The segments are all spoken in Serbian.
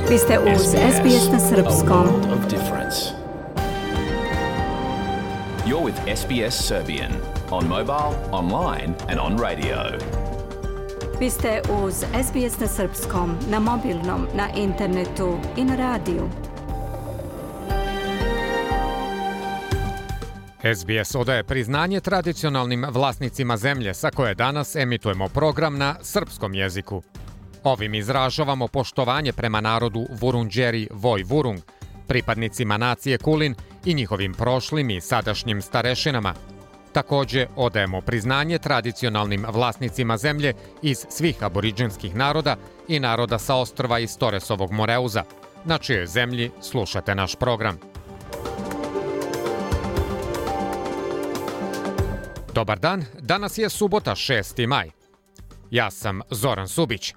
Vi ste uz SBS na srpskom. You're with SBS Serbian on mobile, online and on radio. Vi ste uz SBS na srpskom, na mobilnom, na internetu i na radiju. SBS odaje priznanje tradicionalnim vlasnicima zemlje sa koje danas emitujemo program na srpskom jeziku. Ovim izražavamo poštovanje prema narodu Vurundjeri Voi Vurung, pripadnicima nacije Kulin i njihovim prošlim i sadašnjim starešinama. Takođe odajemo priznanje tradicionalnim vlasnicima zemlje iz svih aboriđinskih naroda i naroda sa ostrva iz Toresovog Moreuza, na čijoj zemlji slušate naš program. Dobar dan, danas je subota 6. maj. Ja sam Zoran Subić.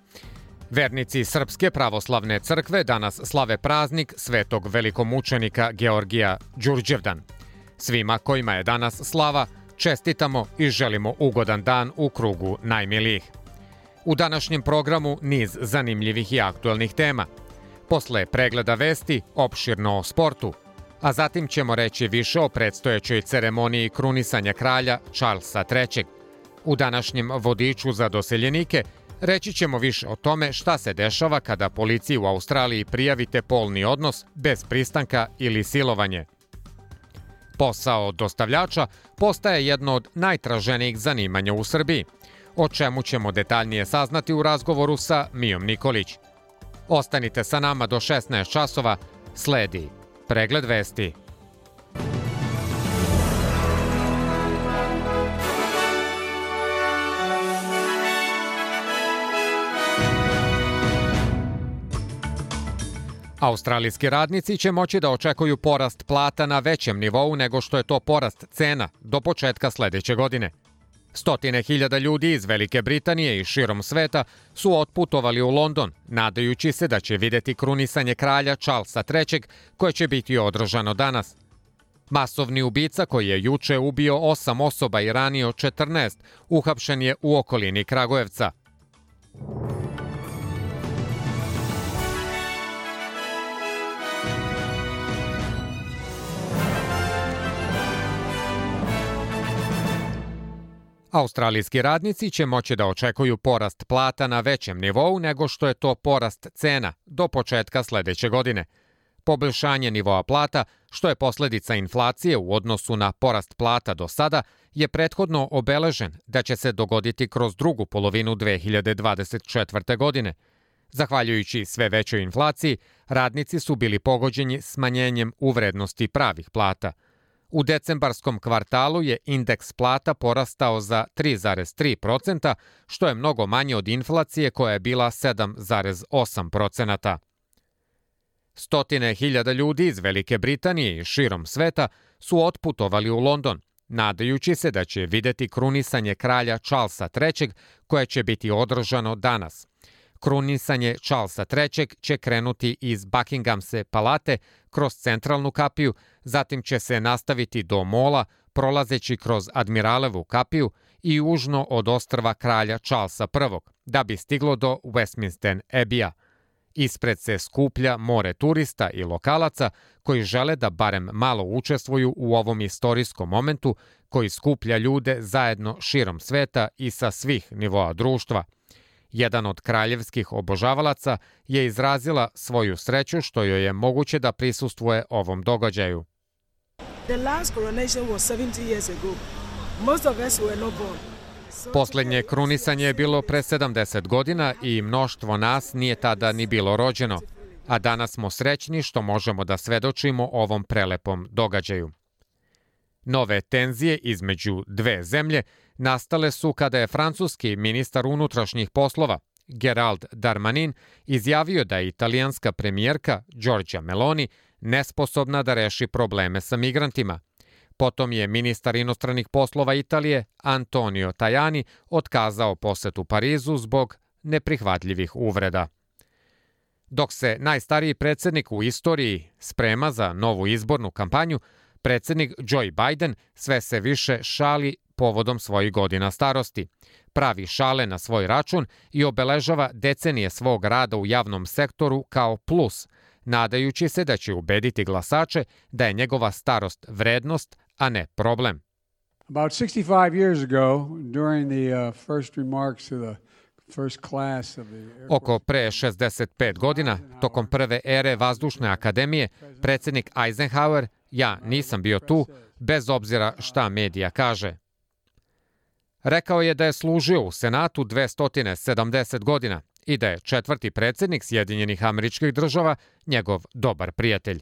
Vernici Srpske pravoslavne crkve danas slave praznik svetog velikomučenika Georgija Đurđevdan. Svima kojima je danas slava, čestitamo i želimo ugodan dan u krugu najmilijih. U današnjem programu niz zanimljivih i aktuelnih tema. Posle pregleda vesti, opširno o sportu, a zatim ćemo reći više o predstojećoj ceremoniji krunisanja kralja Charlesa III. U današnjem vodiču za doseljenike reći ćemo više o tome šta se dešava kada policiji u Australiji prijavite polni odnos bez pristanka ili silovanje. Posao dostavljača postaje jedno od najtraženijih zanimanja u Srbiji, o čemu ćemo detaljnije saznati u razgovoru sa Mijom Nikolić. Ostanite sa nama do 16 časova, sledi pregled vesti. Australijski radnici će moći da očekuju porast plata na većem nivou nego što je to porast cena do početka sledeće godine. Stotine hiljada ljudi iz Velike Britanije i širom sveta su otputovali u London, nadajući se da će videti krunisanje kralja Charlesa III, koje će biti održano danas. Masovni ubica koji je juče ubio 8 osoba i ranio 14, uhapšen je u okolini Kragujevca. Australijski radnici će moći da očekuju porast plata na većem nivou nego što je to porast cena do početka sledeće godine. Poboljšanje nivoa plata, što je posledica inflacije u odnosu na porast plata do sada, je prethodno obeležen da će se dogoditi kroz drugu polovinu 2024. godine. Zahvaljujući sve većoj inflaciji, radnici su bili pogođeni smanjenjem u vrednosti pravih plata. U decembarskom kvartalu je indeks plata porastao za 3,3%, što je mnogo manje od inflacije koja je bila 7,8%. Stotine hiljada ljudi iz Velike Britanije i širom sveta su otputovali u London, nadajući se da će videti krunisanje kralja Charlesa III, koje će biti održano danas. Krunisanje Charlesa III će krenuti iz Buckinghamske palate kroz centralnu kapiju, zatim će se nastaviti do mola, prolazeći kroz Admiralevu kapiju i južno od ostrva kralja Charlesa I, da bi stiglo do Westminster Abbey-a. Ispred se skuplja more turista i lokalaca koji žele da barem malo učestvuju u ovom istorijskom momentu koji skuplja ljude zajedno širom sveta i sa svih nivoa društva. Jedan od kraljevskih obožavalaca je izrazila svoju sreću što joj je moguće da prisustvuje ovom događaju. Poslednje krunisanje je bilo pre 70 godina i mnoštvo nas nije tada ni bilo rođeno, a danas smo srećni što možemo da svedočimo ovom prelepom događaju. Nove tenzije između dve zemlje nastale su kada je francuski ministar unutrašnjih poslova Gerald Darmanin izjavio da je italijanska premijerka Giorgia Meloni nesposobna da reši probleme sa migrantima. Potom je ministar inostranih poslova Italije Antonio Tajani otkazao posetu Parizu zbog neprihvatljivih uvreda. Dok se najstariji predsjednik u istoriji sprema za novu izbornu kampanju, predsjednik Joe Biden sve se više šali povodom svojih godina starosti. Pravi šale na svoj račun i obeležava decenije svog rada u javnom sektoru kao plus, nadajući se da će ubediti glasače da je njegova starost vrednost, a ne problem. About 65 years ago, during the first remarks of the first class of the Air Force... Oko pre 65 godina, tokom prve ere Vazdušne akademije, predsjednik Eisenhower, ja nisam bio tu, bez obzira šta medija kaže. Rekao je da je služio u Senatu 270 godina i da je četvrti predsjednik Sjedinjenih Američkih Država njegov dobar prijatelj.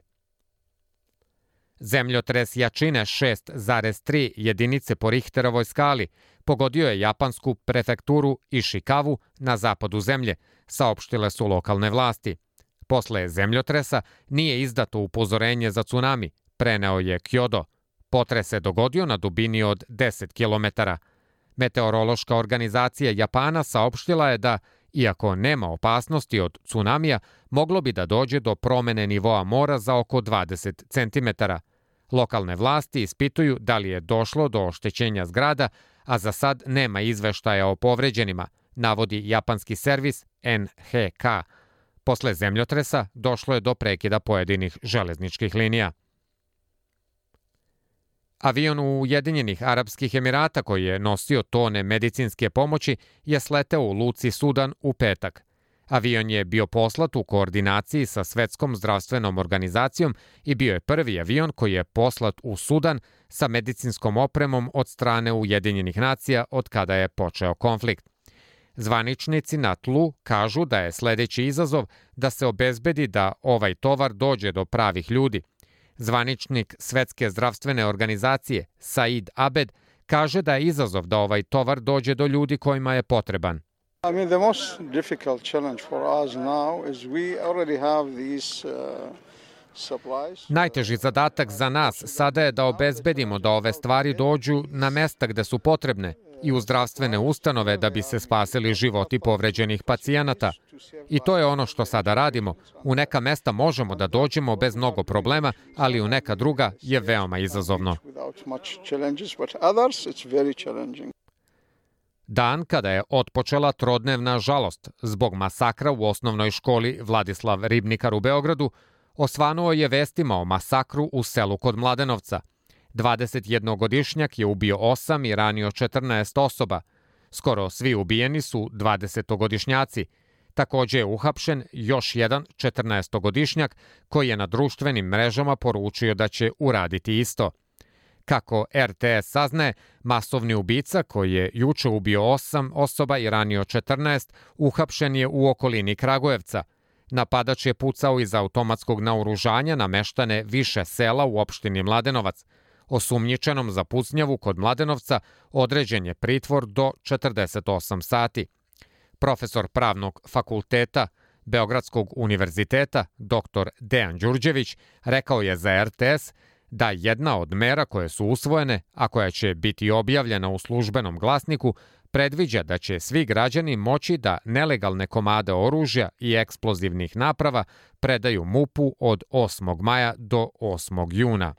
Zemljotres jačine 6,3 jedinice po Richterovoj skali pogodio je japansku prefekturu Ishikavu na zapadu zemlje, saopštile su lokalne vlasti. Posle zemljotresa nije izdato upozorenje za tsunami, preneo je Kyodo. Potres se dogodio na dubini od 10 km. Meteorološka organizacija Japana saopštila je da, iako nema opasnosti od tsunamija, moglo bi da dođe do promene nivoa mora za oko 20 cm. Lokalne vlasti ispituju da li je došlo do oštećenja zgrada, a za sad nema izveštaja o povređenima, navodi japanski servis NHK. Posle zemljotresa došlo je do prekida pojedinih železničkih linija. Avion Ujedinjenih Arapskih Emirata koji je nosio tone medicinske pomoći je sleteo u luci Sudan u petak. Avion je bio poslat u koordinaciji sa Svetskom zdravstvenom organizacijom i bio je prvi avion koji je poslat u Sudan sa medicinskom opremom od strane Ujedinjenih nacija od kada je počeo konflikt. Zvaničnici na tlu kažu da je sledeći izazov da se obezbedi da ovaj tovar dođe do pravih ljudi. Zvaničnik Svetske zdravstvene organizacije Said Abed kaže da je izazov da ovaj tovar dođe do ljudi kojima je potreban. The most difficult challenge for us now is we already have these supplies. Najteži zadatak za nas sada je da obezbedimo da ove stvari dođu na mesta gde su potrebne i u zdravstvene ustanove da bi se spasili životi povređenih pacijenata. I to je ono što sada radimo. U neka mesta možemo da dođemo bez mnogo problema, ali u neka druga je veoma izazovno. Dan kada je otpočela trodnevna žalost zbog masakra u osnovnoj školi Vladislav Ribnikar u Beogradu, osvanuo je vestima o masakru u selu kod Mladenovca. 21-godišnjak je ubio 8 i ranio 14 osoba. Skoro svi ubijeni su 20-godišnjaci. Takođe je uhapšen još jedan 14-godišnjak koji je na društvenim mrežama poručio da će uraditi isto. Kako RTS saznaje, masovni ubica koji je juče ubio 8 osoba i ranio 14, uhapšen je u okolini Kragujevca. Napadač je pucao iz automatskog naoružanja na meštane više sela u opštini Mladenovac. Osumnjičenom za pucnjavu kod Mladenovca određen je pritvor do 48 sati. Profesor pravnog fakulteta Beogradskog univerziteta, dr. Dejan Đurđević, rekao je za RTS da jedna od mera koje su usvojene, a koja će biti objavljena u službenom glasniku, predviđa da će svi građani moći da nelegalne komade oružja i eksplozivnih naprava predaju MUP-u od 8. maja do 8. juna.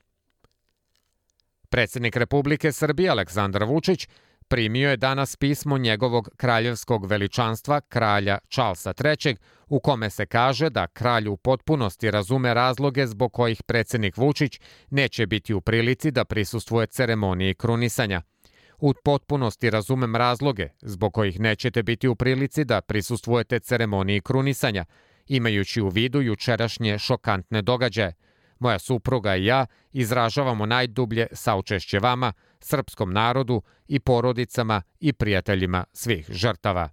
Predsjednik Republike Srbije Aleksandar Vučić primio je danas pismo njegovog kraljevskog veličanstva kralja Charlesa III, u kome se kaže da kralj u potpunosti razume razloge zbog kojih predsjednik Vučić neće biti u prilici da prisustvuje ceremoniji krunisanja. U potpunosti razumem razloge zbog kojih nećete biti u prilici da prisustvujete ceremoniji krunisanja, imajući u vidu jučerašnje šokantne događaje. Moja supruga i ja izražavamo najdublje saučešće vama, srpskom narodu i porodicama i prijateljima svih žrtava.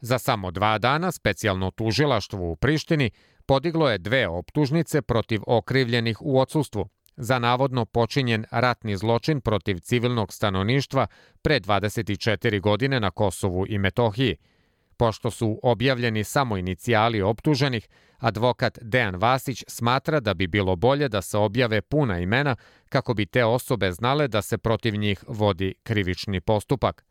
Za samo 2 dana specijalno tužilaštvo u Prištini podiglo je 2 optužnice protiv okrivljenih u odsustvu za navodno počinjen ratni zločin protiv civilnog stanovništva pre 24 godine na Kosovu i Metohiji. Pošto su objavljeni samo inicijali optuženih, advokat Dejan Vasić smatra da bi bilo bolje da se objave puna imena kako bi te osobe znale da se protiv njih vodi krivični postupak.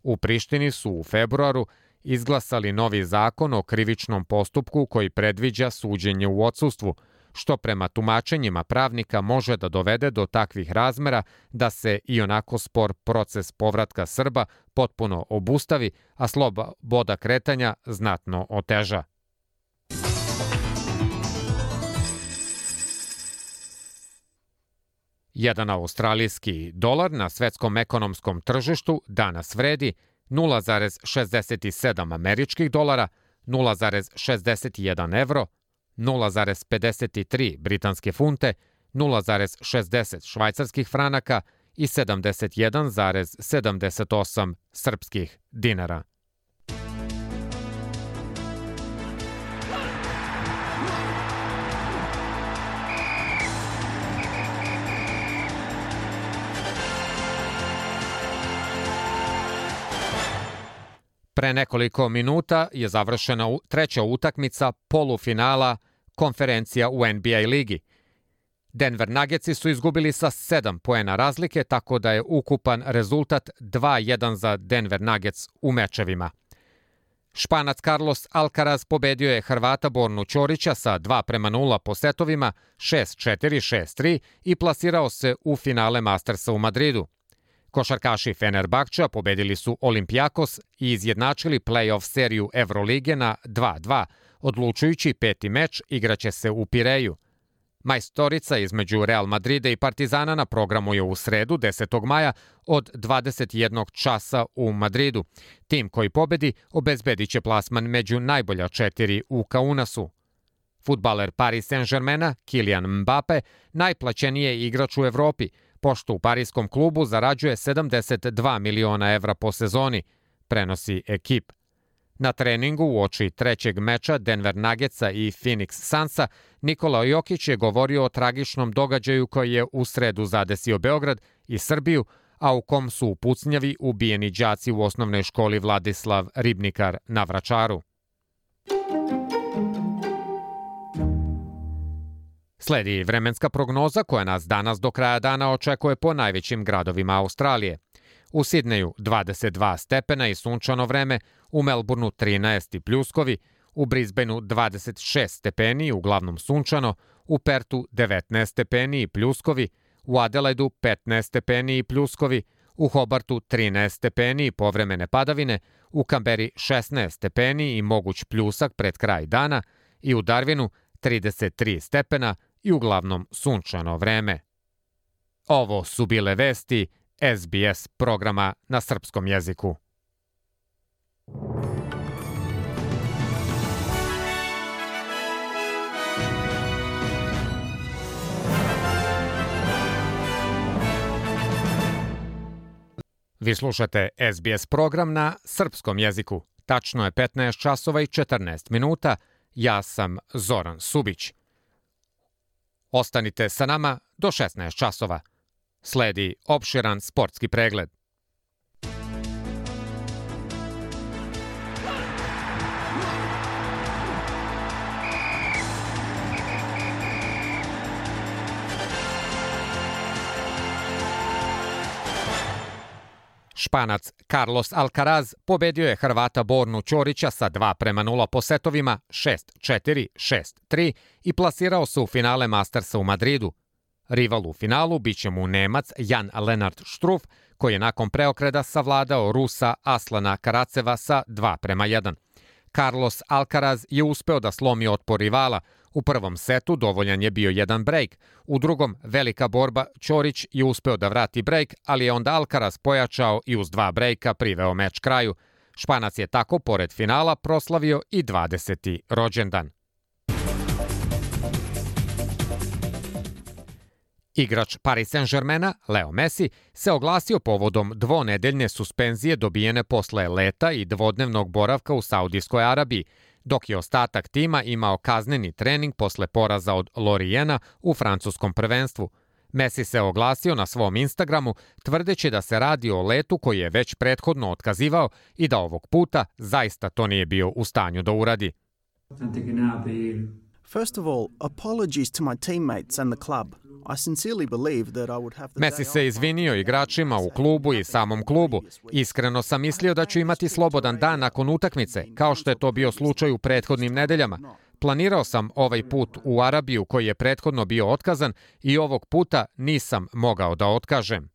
U Prištini su u februaru izglasali novi zakon o krivičnom postupku koji predviđa suđenje u odsustvu, što prema tumačenjima pravnika može da dovede do takvih razmera da se i onako spor proces povratka Srba potpuno obustavi, a sloboda kretanja znatno oteža. Jedan australijski dolar na svetskom ekonomskom tržištu danas vredi 0,67 američkih dolara, 0,61 evro, 0,53 britanske funte, 0,60 švajcarskih franaka i 71,78 srpskih dinara. Pre nekoliko minuta je završena treća utakmica polufinala konferencija u NBA ligi. Denver Nuggetsi su izgubili sa 7 poena razlike, tako da je ukupan rezultat 2:1 za Denver Nuggets u mečevima. Španac Carlos Alcaraz pobedio je Hrvata Bornu Ćorića sa 2:0 po setovima, 6-4, 6-3 i plasirao se u finale Mastersa u Madridu. Košarkaši Fenerbahča pobedili su Olympiakos i izjednačili play-off seriju Evrolige na 2:2. Odlučujući peti meč igraće se u Pireju. Majstorica između Real Madrida i Partizana na programu je u sredu 10. maja od 21 časa u Madridu. Tim koji pobedi obezbedit će plasman među najbolja 4 u Kaunasu. Fudbaler Paris Saint-Germaina Kylian Mbappe najplaćeniji je igrač u Evropi, pošto u parijskom klubu zarađuje 72 miliona evra po sezoni, prenosi Ekip. Na treningu uoči trećeg meča Denver Nuggetsa i Phoenix Sunsa Nikola Jokić je govorio o tragičnom događaju koji je u sredu zadesio Beograd i Srbiju, a u kom su u pucnjavi ubijeni đaci u osnovnoj školi Vladislav Ribnikar na Vračaru. Sledi vremenska prognoza koja nas danas do kraja dana očekuje po najvećim gradovima Australije. U Sidneju 22 stepena i sunčano vreme, u Melbourneu 13 i pljuskovi, u Brisbaneu 26 stepeni i uglavnom sunčano, u Pertu 19 stepeni i pljuskovi, u Adelaidu 15 stepeni i pljuskovi, u Hobartu 13 stepeni i povremene padavine, u Kamberi 16 stepeni i moguć pljusak pred kraj dana i u Darwinu 33 stepena i uglavnom sunčano vreme. Ovo su bile vesti SBS programa na srpskom jeziku. Vi slušate SBS program na srpskom jeziku. Tačno je 15 časova i 14 minuta. Ja sam Zoran Subić. Ostanite sa nama do 16 časova. Sledi opširan sportski pregled. Španac Carlos Alcaraz pobedio je Hrvata Bornu Ćorića sa 2:0 po setovima, 6-4, 6-3 i plasirao se u finale Mastersa u Madridu. Rival u finalu biće mu Nemac Jan-Lennard Struff, koji je nakon preokreta savladao Rusa Aslana Karaceva sa 2:1. Carlos Alcaraz je uspeo da slomi otpor rivala. U prvom setu dovoljan je bio jedan brejk. U drugom velika borba, Ćorić je uspeo da vrati brejk, ali je onda Alcaraz pojačao i uz 2 brejka priveo meč kraju. Španac je tako, pored finala, proslavio i 20. rođendan. Igrač Paris Saint-Germaina, Leo Messi, se oglasio povodom dvonedeljne suspenzije dobijene posle leta i dvodnevnog boravka u Saudijskoj Arabiji, dok je ostatak tima imao kazneni trening posle poraza od Loriena u francuskom prvenstvu. Messi se oglasio na svom Instagramu, tvrdeći da se radi o letu koji je već prethodno otkazivao i da ovog puta zaista to nije bio u stanju da uradi. First of all, apologies to my teammates and the club. I sincerely believe that I would have the Messi se izvinio igračima u klubu i samom klubu. Iskreno sam mislio da ću imati slobodan dan nakon utakmice, kao što je to bio slučaj u prethodnim nedeljama. Planirao sam ovaj put u Arabiju koji je prethodno bio otkazan i ovog puta nisam mogao da otkažem.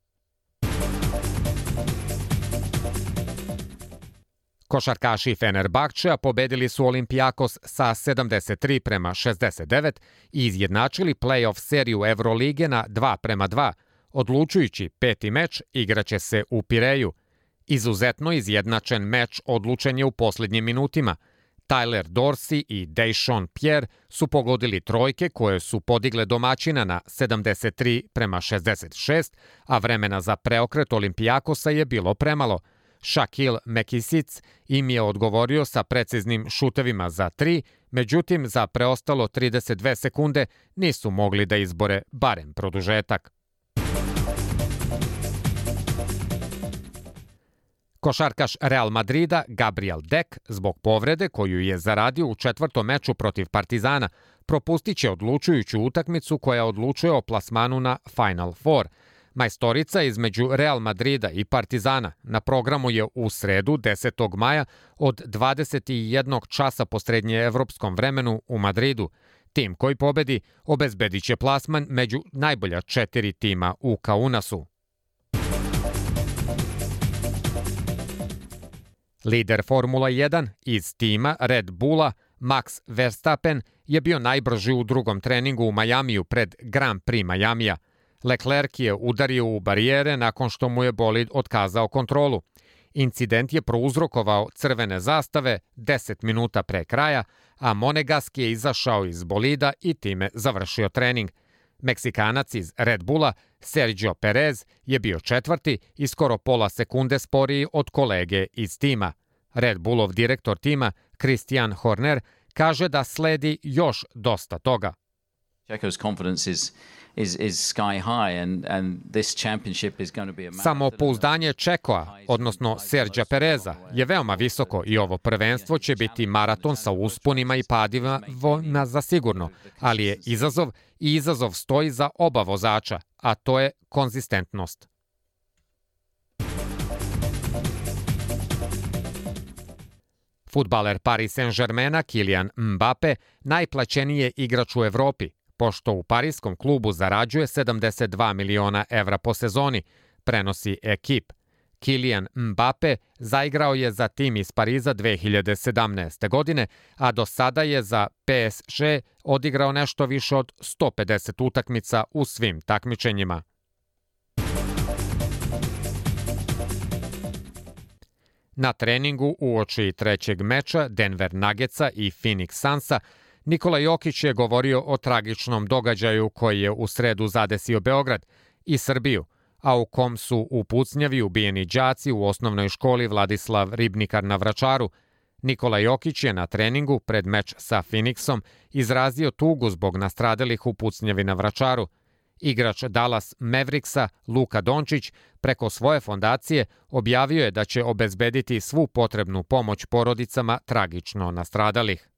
Košarkaši Fenerbahčea pobedili su Olympiakos sa 73-69 i izjednačili play-off seriju Evrolige na 2-2. Odlučujući peti meč igraće se u Pireju. Izuzetno izjednačen meč odlučen je u posljednjim minutima. Tyler Dorsey i Deshaun Pierre su pogodili trojke koje su podigle domaćina na 73-66, a vremena za preokret Olympiakosa je bilo premalo. Shaquille Mekisic im je odgovorio sa preciznim šutevima za 3, međutim za preostalo 32 sekunde nisu mogli da izbore barem produžetak. Košarkaš Real Madrida Gabriel Deck zbog povrede koju je zaradio u četvrtom meču protiv Partizana propustit će odlučujuću utakmicu koja odlučuje o plasmanu na Final Four. Majstorica između Real Madrida i Partizana na programu je u sredu 10. maja od 21 časa po srednjeevropskom vremenu u Madridu. Tim koji pobedi obezbedit će plasman među najbolja 4 tima u Kaunasu. Lider Formula 1 iz tima Red Bulla Max Verstappen je bio najbrži u drugom treningu u Majamiju pred Grand Prix Majamija. Leclerc je udario u barijere nakon što mu je bolid otkazao kontrolu. Incident je prouzrokovao crvene zastave 10 minuta pre kraja, a Monegaski je izašao iz bolida i time završio trening. Meksikanac iz Red Bulla Sergio Perez je bio četvrti i skoro pola sekunde sporiji od kolege iz tima. Red Bullov direktor tima Christian Horner kaže da sledi još dosta toga. Checo's confidence is sky high and this championship is going to be a Samopouzdanje Čekoa, odnosno Sergija Pereza, je veoma visoko i ovo prvenstvo će biti maraton sa usponima i padima za sigurno, ali je izazov i izazov stoji za oba vozača, a to je konzistentnost. Fudbaler Paris Saint-Germaina Kylian Mbappe najplaćeniji je igrač u Evropi, pošto u parijskom klubu zarađuje 72 miliona evra po sezoni, prenosi Ekip. Kylian Mbappe zaigrao je za tim iz Pariza 2017. godine, a do sada je za PSG odigrao nešto više od 150 utakmica u svim takmičenjima. Na treningu uoči trećeg meča Denver Nuggetsa i Phoenix Sunsa Nikola Jokić je govorio o tragičnom događaju koji je u sredu zadesio Beograd i Srbiju, a u kom su u pucnjavi ubijeni đaci u osnovnoj školi Vladislav Ribnikar na Vračaru. Nikola Jokić je na treningu pred meč sa Phoenixom izrazio tugu zbog nastradalih u pucnjavi na Vračaru. Igrač Dallas Mavericksa Luka Dončić preko svoje fondacije objavio je da će obezbediti svu potrebnu pomoć porodicama tragično nastradalih.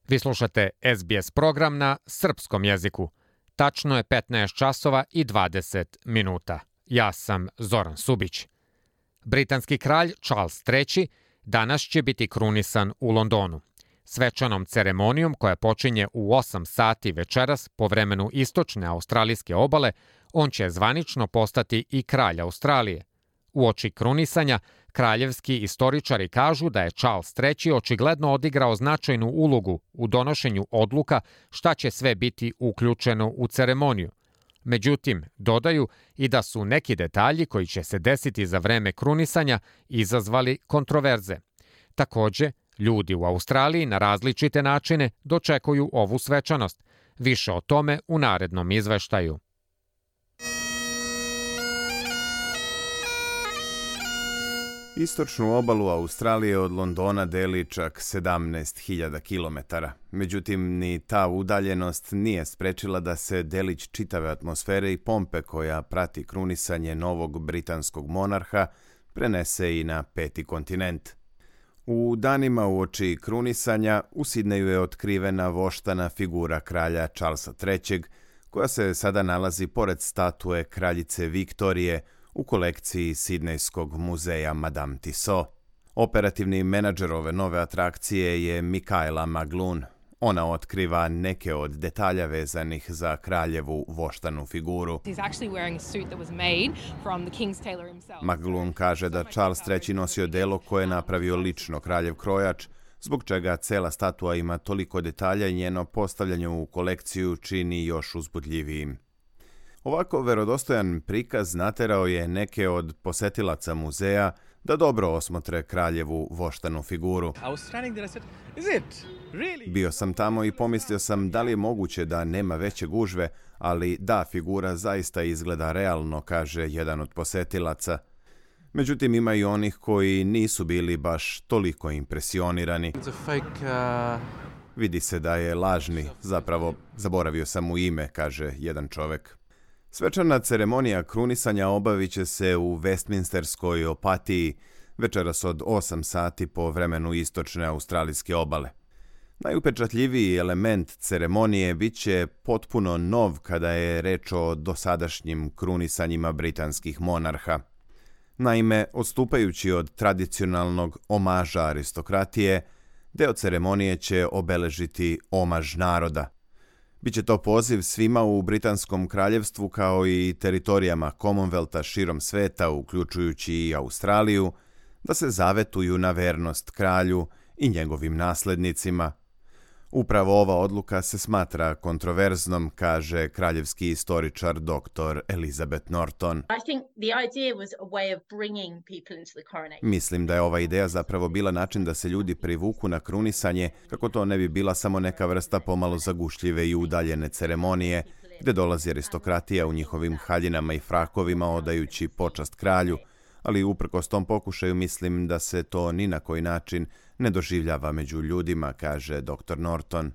Vi slušate SBS program na srpskom jeziku. Tačno je 15 časova i 20 minuta. Ja sam Zoran Subić. Britanski kralj Charles III danas će biti krunisan u Londonu. Svečanom ceremonijom koja počinje u 8 sati večeras po vremenu istočne australijske obale, on će zvanično postati i kralj Australije. Uoči krunisanja, kraljevski istoričari kažu da je Charles III očigledno odigrao značajnu ulogu u donošenju odluka šta će sve biti uključeno u ceremoniju. Međutim, dodaju i da su neki detalji koji će se desiti za vreme krunisanja izazvali kontroverze. Takođe, ljudi u Australiji na različite načine dočekuju ovu svečanost. Više o tome u narednom izveštaju. Istočnu obalu Australije od Londona deli čak 17.000 kilometara. Međutim, ni ta udaljenost nije sprečila da se delić čitave atmosfere i pompe koja prati krunisanje novog britanskog monarha prenese i na peti kontinent. U danima uoči krunisanja u Sidneju je otkrivena voštana figura kralja Charlesa III, koja se sada nalazi pored statue kraljice Viktorije u kolekciji Sidnejskog muzeja Madame Tussauds. Operativni menadžer ove nove atrakcije je Michaela McGloon. Ona otkriva neke od detalja vezanih za kraljevu voštanu figuru. McGloon kaže da Charles III nosio delo koje je napravio lično kraljev krojač, zbog čega cela statua ima toliko detalja i njeno postavljanje u kolekciju čini još uzbudljivijim. Ovako verodostojan prikaz naterao je neke od posetilaca muzeja da dobro osmotre kraljevu voštanu figuru. Bio sam tamo i pomislio sam da li je moguće da nema veće gužve, ali da, figura zaista izgleda realno, kaže jedan od posetilaca. Međutim, ima i onih koji nisu bili baš toliko impresionirani. Vidi se da je lažni, zapravo zaboravio sam mu ime, kaže jedan čovek. Svečana ceremonija krunisanja obavit će se u Westminsterskoj Opatiji večeras od 8 sati po vremenu istočne australijske obale. Najupečatljiviji element ceremonije bit će potpuno nov kada je reč o dosadašnjim krunisanjima britanskih monarha. Naime, odstupajući od tradicionalnog omaža aristokratije, deo ceremonije će obeležiti omaž naroda. Biće to poziv svima u Britanskom kraljevstvu kao i teritorijama Commonwealtha širom sveta, uključujući i Australiju, da se zavetuju na vernost kralju i njegovim naslednicima. Upravo ova odluka se smatra kontroverznom, kaže kraljevski istoričar dr. Elizabeth Norton. Mislim da je ova ideja zapravo bila način da se ljudi privuku na krunisanje, kako to ne bi bila samo neka vrsta pomalo zagušljive i udaljene ceremonije, gde dolazi aristokratija u njihovim haljinama i frakovima odajući počast kralju, ali uprkos tom pokušaju mislim da se to ni na koji način ne doživljava među ljudima, kaže dr. Norton.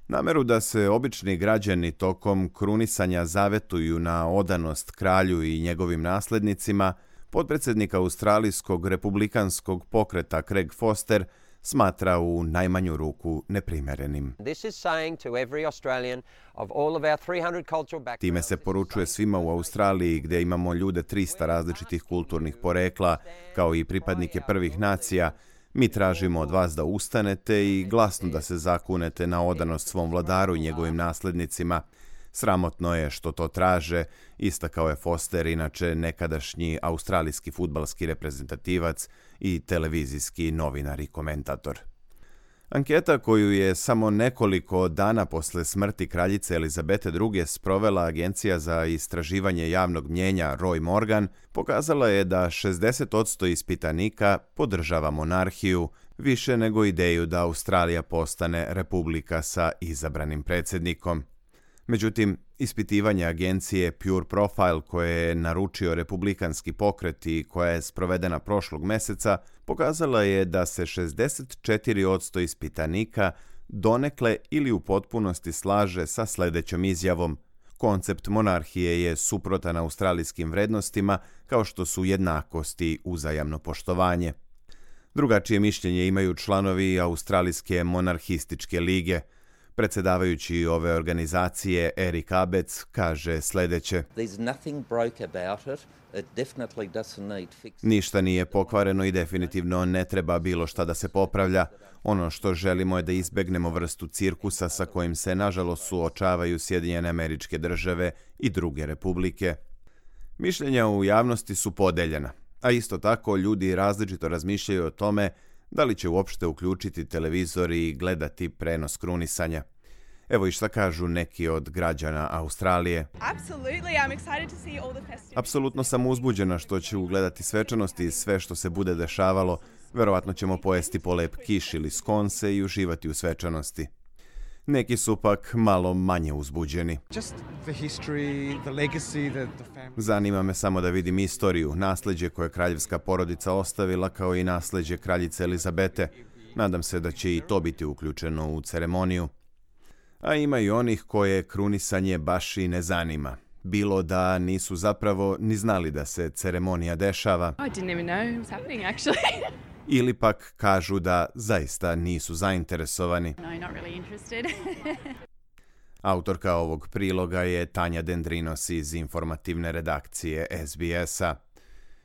Nameru da se obični građani tokom krunisanja zavetuju na odanost kralju i njegovim naslednicima, potpredsjednik australijskog republikanskog pokreta Craig Foster smatra u najmanju ruku neprimerenim. Time se poručuje svima u Australiji gdje imamo ljude 300 različitih kulturnih porekla, kao i pripadnike prvih nacija. Mi tražimo od vas da ustanete i glasno da se zakunete na odanost svom vladaru i njegovim naslednicima. Sramotno je što to traže, istakao je Foster, inače nekadašnji australijski fudbalski reprezentativac i televizijski novinar i komentator. Anketa koju je samo nekoliko dana posle smrti kraljice Elizabete II. Sprovela Agencija za istraživanje javnog mnjenja Roy Morgan pokazala je da 60% ispitanika podržava monarhiju, više nego ideju da Australija postane republika sa izabranim predsjednikom. Međutim, ispitivanje agencije Pure Profile koje je naručio republikanski pokret i koja je sprovedena prošlog meseca, pokazala je da se 64% ispitanika donekle ili u potpunosti slaže sa sljedećom izjavom. Koncept monarhije je suprotan australijskim vrednostima kao što su jednakost i uzajamno poštovanje. Drugačije mišljenje imaju članovi Australijske monarhističke lige. Predsjedavajući ove organizacije Eric Abetz kaže sljedeće. Ništa nije pokvareno i definitivno ne treba bilo šta da se popravlja. Ono što želimo je da izbegnemo vrstu cirkusa sa kojim se nažalost suočavaju Sjedinjene Američke Države i druge republike. Mišljenja u javnosti su podeljena, a isto tako ljudi različito razmišljaju o tome da li će uopšte uključiti televizor i gledati prenos krunisanja. Evo i šta kažu neki od građana Australije. Apsolutno sam uzbuđena što ću gledati svečanosti i sve što se bude dešavalo. Verovatno ćemo pojesti polep kiš ili skonse i uživati u svečanosti. Neki su pak malo manje uzbuđeni. Zanima me samo da vidim istoriju, nasleđe koje kraljevska porodica ostavila kao i nasleđe kraljice Elizabete. Nadam se da će i to biti uključeno u ceremoniju. A ima i onih koje krunisanje baš i ne zanima. Bilo da nisu zapravo ni znali da se ceremonija dešava. Ili pak kažu da zaista nisu zainteresovani. Autorka ovog priloga je Tanja Dendrinos iz informativne redakcije SBS-a.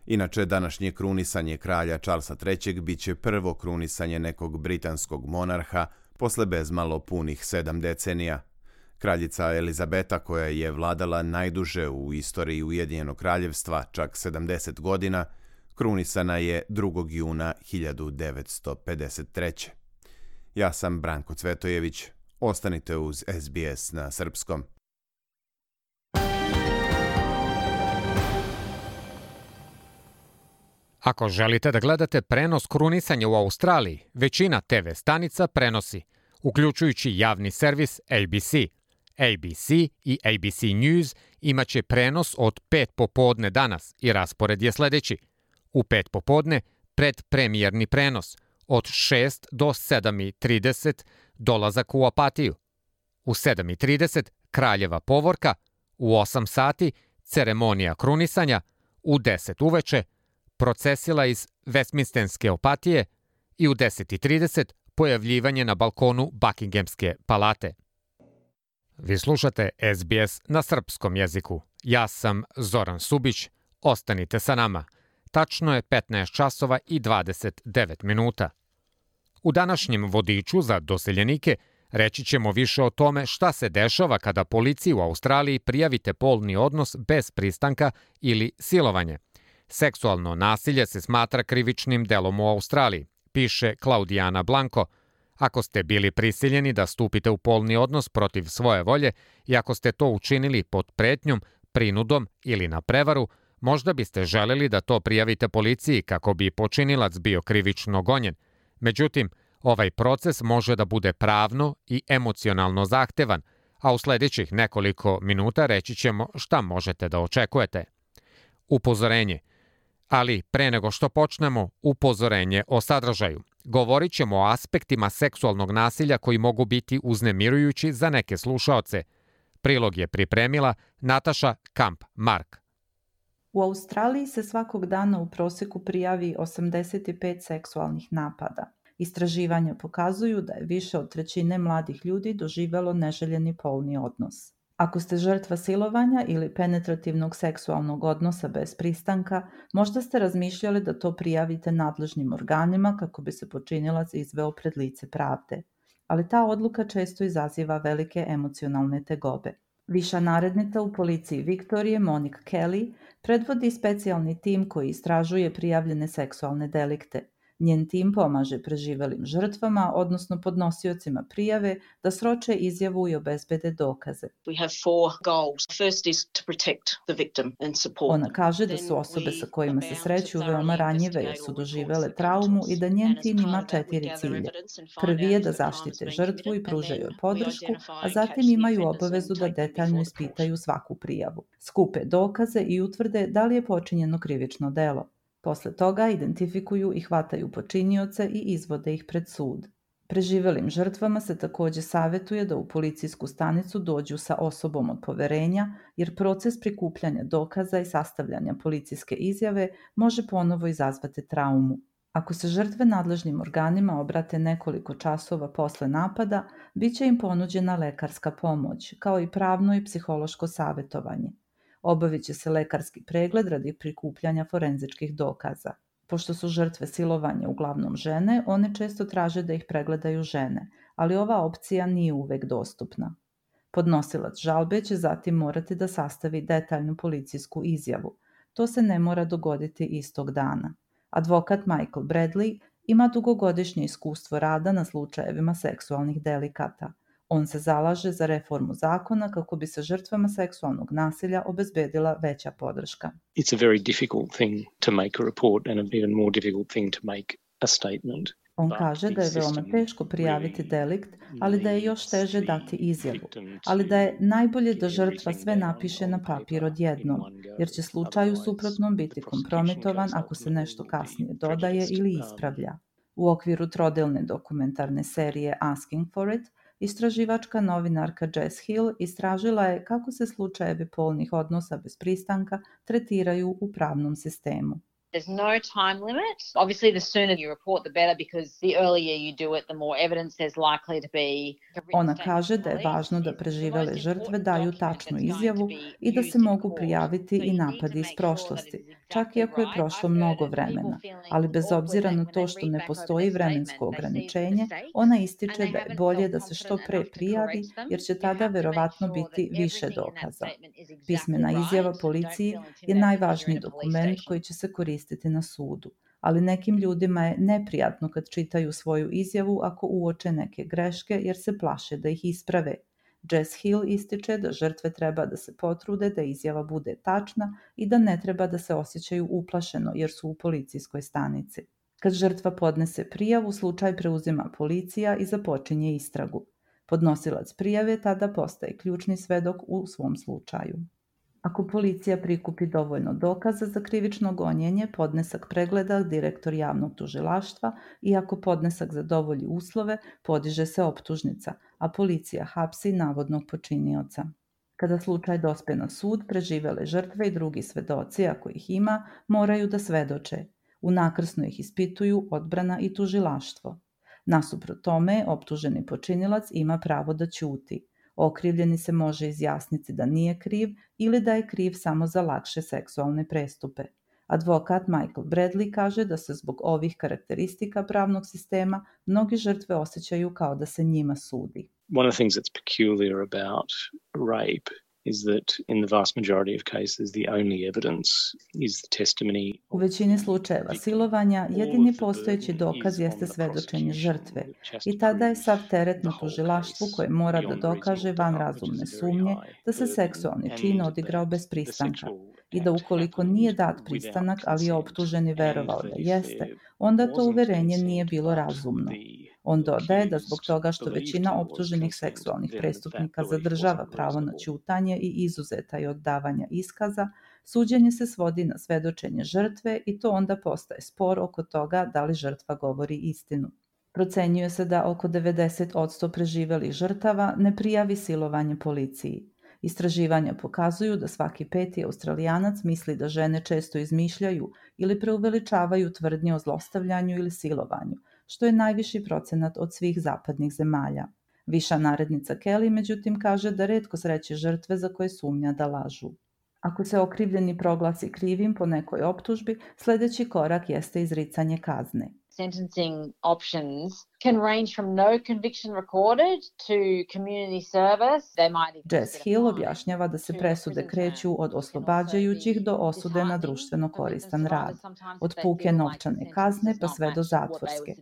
Inače, današnje krunisanje kralja Charlesa III. Biće prvo krunisanje nekog britanskog monarha posle bezmalo punih 7 decenija. Kraljica Elizabeta, koja je vladala najduže u istoriji Ujedinjenog kraljevstva, čak 70 godina, krunisana je 2. juna 1953. Ja sam Branko Cvetojević. Ostanite uz SBS na srpskom. Ako želite da gledate prenos krunisanja u Australiji, većina TV stanica prenosi, uključujući javni servis ABC. ABC i ABC News imaće prenos od 5 popodne danas i raspored je sledeći. U 5 popodne predpremijerni prenos, od 6 do 7:30 dolazak u Apatiju. U 7:30 kraljeva povorka, u 8 sati ceremonija krunisanja, u 10 uveče procesila iz Westminsterske Apatije i u 10:30 pojavljivanje na balkonu Buckinghamske palate. Vi slušate SBS na srpskom jeziku. Ja sam Zoran Subić. Ostanite sa nama. Tačno je 15 časova i 29 minuta. U današnjem vodiču za doseljenike reći ćemo više o tome šta se dešava kada policiji u Australiji prijavite polni odnos bez pristanka ili silovanje. Seksualno nasilje se smatra krivičnim delom u Australiji, piše Klaudijana Blanko. Ako ste bili prisiljeni da stupite u polni odnos protiv svoje volje i ako ste to učinili pod pretnjom, prinudom ili na prevaru, možda biste želeli da to prijavite policiji kako bi počinilac bio krivično gonjen. Međutim, ovaj proces može da bude pravno i emocionalno zahtevan, a u sledećih nekoliko minuta reći ćemo šta možete da očekujete. Upozorenje. Ali pre nego što počnemo, upozorenje o sadržaju. Govorit ćemo o aspektima seksualnog nasilja koji mogu biti uznemirujući za neke slušaoce. Prilog je pripremila Nataša Kamp-Mark. U Australiji se svakog dana u proseku prijavi 85 seksualnih napada. Istraživanja pokazuju da je više od trećine mladih ljudi doživelo neželjeni polni odnos. Ako ste žrtva silovanja ili penetrativnog seksualnog odnosa bez pristanka, možda ste razmišljali da to prijavite nadležnim organima kako bi se počinilac izveo pred lice pravde. Ali ta odluka često izaziva velike emocionalne tegobe. Viša narednica u policiji Viktorije, Monique Kelly, predvodi specijalni tim koji istražuje prijavljene seksualne delikte. Njen tim pomaže preživelim žrtvama, odnosno podnosiocima prijave, da sroče izjavu i obezbede dokaze. Ona kaže da su osobe sa kojima se sreću veoma ranjive jer su doživele traumu i da njen tim ima 4 cilja. Prvi je da zaštite žrtvu i pružaju joj podršku, a zatim imaju obavezu da detaljno ispitaju svaku prijavu, skupe dokaze i utvrde da li je počinjeno krivično delo. Posle toga identifikuju i hvataju počinioce i izvode ih pred sud. Preživelim žrtvama se takođe savetuje da u policijsku stanicu dođu sa osobom od poverenja, jer proces prikupljanja dokaza i sastavljanja policijske izjave može ponovo izazvati traumu. Ako se žrtve nadležnim organima obrate nekoliko časova posle napada, bit će im ponuđena lekarska pomoć, kao i pravno i psihološko savetovanje. Obavit će se lekarski pregled radi prikupljanja forenzičkih dokaza. Pošto su žrtve silovanja uglavnom žene, one često traže da ih pregledaju žene, ali ova opcija nije uvek dostupna. Podnosilac žalbe će zatim morati da sastavi detaljnu policijsku izjavu. To se ne mora dogoditi istog dana. Advokat Michael Bradley ima dugogodišnje iskustvo rada na slučajevima seksualnih delikata. On se zalaže za reformu zakona kako bi se žrtvama seksualnog nasilja obezbedila veća podrška. It's a very difficult thing to make a report and an even more difficult thing to make a statement. On kaže da je veoma teško prijaviti delikt, ali da je još teže dati izjavu, ali da je najbolje da žrtva sve napiše na papir odjednom, jer će slučaj u suprotnom biti kompromitovan ako se nešto kasnije dodaje ili ispravlja. U okviru trodelne dokumentarne serije Asking for It, istraživačka novinarka Jess Hill istražila je kako se slučajevi polnih odnosa bez pristanka tretiraju u pravnom sistemu. There's no time limit. Obviously, the sooner you report, the better, because the earlier you do it, the more evidence there's likely to be. Ona kaže da je važno da preživele žrtve daju tačnu izjavu i da se mogu prijaviti i napadi iz prošlosti, čak i ako je prošlo mnogo vremena. Ali bez obzira na to što ne postoji vremensko ograničenje, ona ističe da je bolje da se što pre prijavi, jer će tada verovatno biti više dokaza. Pismena izjava policiji je najvažniji dokument koji će se koristiti na sudu, ali nekim ljudima je neprijatno kad čitaju svoju izjavu ako uoče neke greške jer se plaše da ih isprave. Jess Hill ističe da žrtve treba da se potrude da izjava bude tačna i da ne treba da se osjećaju uplašeno jer su u policijskoj stanici. Kad žrtva podnese prijavu, slučaj preuzima policija i započinje istragu. Podnosilac prijave tada postaje ključni svedok u svom slučaju. Ako policija prikupi dovoljno dokaza za krivično gonjenje, podnesak pregleda direktor javnog tužilaštva i ako podnesak zadovolji uslove, podiže se optužnica, a policija hapsi navodnog počinioca. Kada slučaj dospe na sud, preživele žrtve i drugi svedoci, ako ih ima, moraju da svedoče. Unakrsno ih ispituju odbrana i tužilaštvo. Nasuprot tome, optuženi počinilac ima pravo da ćuti. Okrivljeni se može izjasniti da nije kriv ili da je kriv samo za lakše seksualne prestupe. Advokat Michael Bradley kaže da se zbog ovih karakteristika pravnog sistema mnogi žrtve osjećaju kao da se njima sudi. One of the things that's peculiar about rape is that in the vast majority of cases the only evidence is the testimony. U većini slučajeva silovanja jedini postojeći dokaz jeste svedočenje žrtve i tada je sav teret na tužilaštvu koje mora da dokaže van razumne sumnje da se seksualni čin odigrao bez pristanka i da ukoliko nije dat pristanak, ali je optuženi verovao da jeste, onda to uverenje nije bilo razumno. On dodaje da zbog toga što većina optuženih seksualnih prestupnika zadržava pravo na ćutanje i izuzeta je od davanja iskaza, suđenje se svodi na svedočenje žrtve i to onda postaje spor oko toga da li žrtva govori istinu. Procenjuje se da oko 90% preživelih žrtava ne prijavi silovanje policiji. Istraživanja pokazuju da svaki 5. Australijanac misli da žene često izmišljaju ili preuveličavaju tvrdnje o zlostavljanju ili silovanju, što je najviši procenat od svih zapadnih zemalja. Viša narednica Kelly, međutim, kaže da retko sreće žrtve za koje sumnja da lažu. Ako se okrivljeni proglasi krivim po nekoj optužbi, sljedeći korak jeste izricanje kazne. Sentencing options can range from no conviction recorded to community service. Jess Hill objašnjava da se presude kreću od oslobađajućih do osude na društveno koristan rad, od puke novčane kazne pa sve do zatvorske.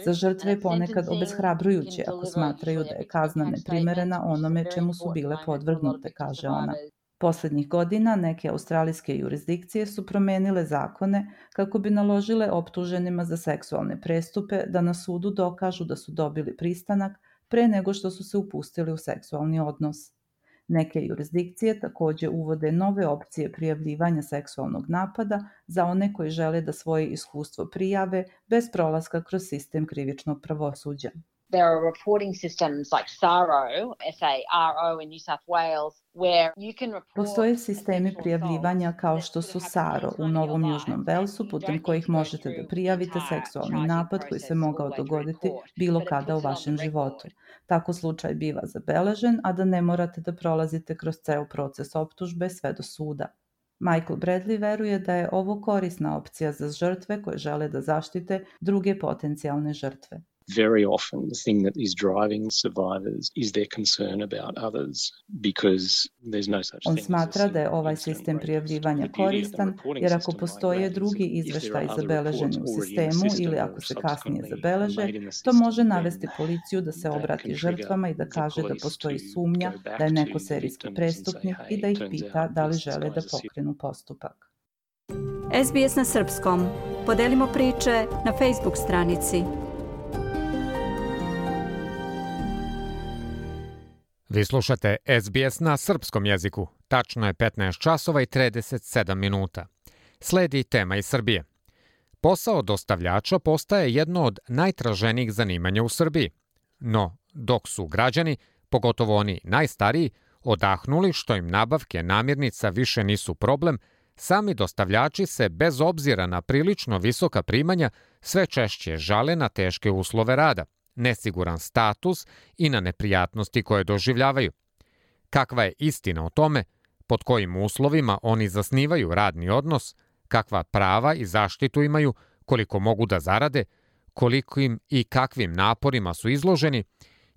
Za žrtve je ponekad obeshrabrujuće ako smatraju da je kazna neprimerena onome čemu su bile podvrgnute, kaže ona. Posljednjih godina neke australijske jurisdikcije su promenile zakone kako bi naložile optuženima za seksualne prestupe da na sudu dokažu da su dobili pristanak pre nego što su se upustili u seksualni odnos. Neke jurisdikcije također uvode nove opcije prijavljivanja seksualnog napada za one koji žele da svoje iskustvo prijave bez prolaska kroz sistem krivičnog pravosuđa. There are reporting systems like SARO, S-A-R-O in New South Wales, where you can report... Postoje sistemi prijavljivanja kao što su SARO u Novom Južnom Velsu, putem kojih možete da prijavite seksualni napad koji se mogao dogoditi bilo kada u vašem životu. Tako slučaj biva zabeležen, a da ne morate da prolazite kroz ceo proces optužbe sve do suda. Michael Bradley veruje da je ovo korisna opcija za žrtve koje žele da zaštite druge potencijalne žrtve. Very often the thing that is driving survivors is their concern about others because there's no such thing. On smatra da je ovaj sistem prijavljivanja koristan jer ako postoje drugi izveštaji zabeleženi u sistemu ili ako se kasnije zabeleže, to može navesti policiju da se obrati žrtvama i da kaže da postoji sumnja da je neko serijski prestupnik i da ih pita da li žele da pokrenu postupak. SBS na srpskom. Podelimo priče na Facebook stranici. Vi slušate SBS na srpskom jeziku. Tačno je 15 časova i 37 minuta. Sledi tema iz Srbije. Posao dostavljača postaje jedno od najtraženijih zanimanja u Srbiji. No, dok su građani, pogotovo oni najstariji, odahnuli što im nabavke namirnica više nisu problem, sami dostavljači se bez obzira na prilično visoka primanja sve češće žale na teške uslove rada, nesiguran status i na neprijatnosti koje doživljavaju. Kakva je istina o tome, pod kojim uslovima oni zasnivaju radni odnos, kakva prava i zaštitu imaju, koliko mogu da zarade, kolikim i kakvim naporima su izloženi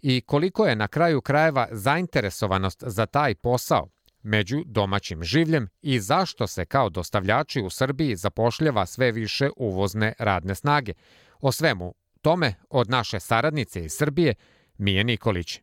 i koliko je na kraju krajeva zainteresovanost za taj posao među domaćim življem i zašto se kao dostavljači u Srbiji zapošljava sve više uvozne radne snage. O svemu tome od naše saradnice iz Srbije, Mije Nikolić.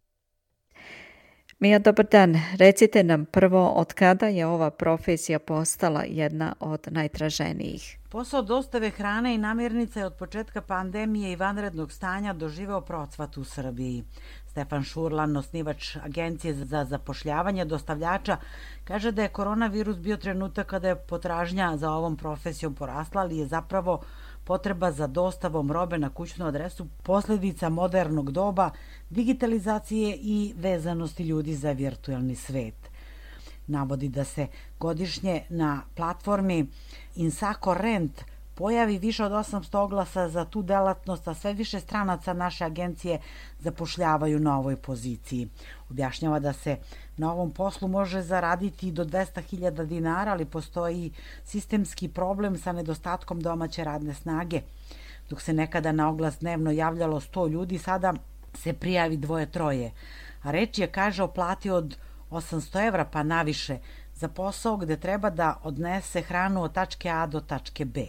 Mija, dobar dan. Recite nam prvo od kada je ova profesija postala jedna od najtraženijih. Posao dostave hrane i namirnica je od početka pandemije i vanrednog stanja doživeo procvat u Srbiji. Stefan Šurlan, osnivač Agencije za zapošljavanje dostavljača, kaže da je koronavirus bio trenutak kada je potražnja za ovom profesijom porasla, ali je zapravo potreba za dostavom robe na kućnu adresu posljedica modernog doba, digitalizacije i vezanosti ljudi za virtualni svet. Navodi da se godišnje na platformi Insako Rent pojavi više od 800 oglasa za tu delatnost, a sve više stranaca naše agencije zapošljavaju na ovoj poziciji. Objašnjava da se na ovom poslu može zaraditi do 200.000 dinara, ali postoji sistemski problem sa nedostatkom domaće radne snage. Dok se nekada na oglas dnevno javljalo 100 ljudi, sada se prijavi 2-3. A reč je, kaže, o plati od 800 evra pa naviše za posao gde treba da odnese hranu od tačke A do tačke B.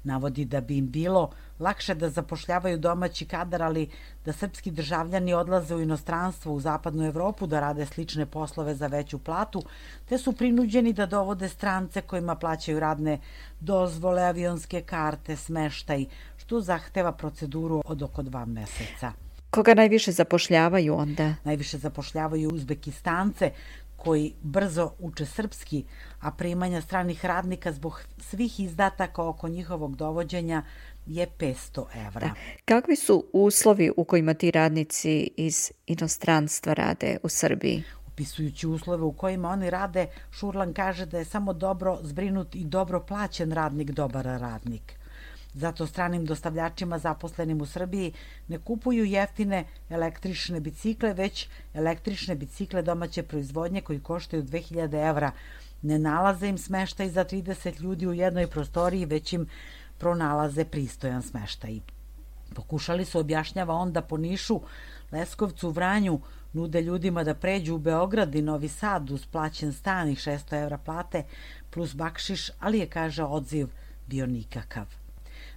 Navodi da bi im bilo lakše da zapošljavaju domaći kadar, ali da srpski državljani odlaze u inostranstvo, u zapadnu Evropu da rade slične poslove za veću platu, te su prinuđeni da dovode strance kojima plaćaju radne dozvole, avionske karte, smeštaj, što zahteva proceduru od oko 2 meseca. Koga najviše zapošljavaju onda? Najviše zapošljavaju Uzbekistance, koji brzo uče srpski, a primanja stranih radnika zbog svih izdataka oko njihovog dovođenja je 500 evra. Kakvi su uslovi u kojima ti radnici iz inostranstva rade u Srbiji? Opisujući uslove u kojima oni rade, Šurlan kaže da je samo dobro zbrinut i dobro plaćen radnik dobar radnik. Zato stranim dostavljačima zaposlenim u Srbiji ne kupuju jeftine električne bicikle, već električne bicikle domaće proizvodnje koji koštaju 2000 evra. Ne nalaze im smeštaj za 30 ljudi u jednoj prostoriji, već im pronalaze pristojan smeštaj. Pokušali su, objašnjava on, da po Nišu, Leskovcu, Vranju nude ljudima da pređu u Beograd i Novi Sad uz plaćen stan i 600 evra plate plus bakšiš, ali je, kaže, odziv bio nikakav.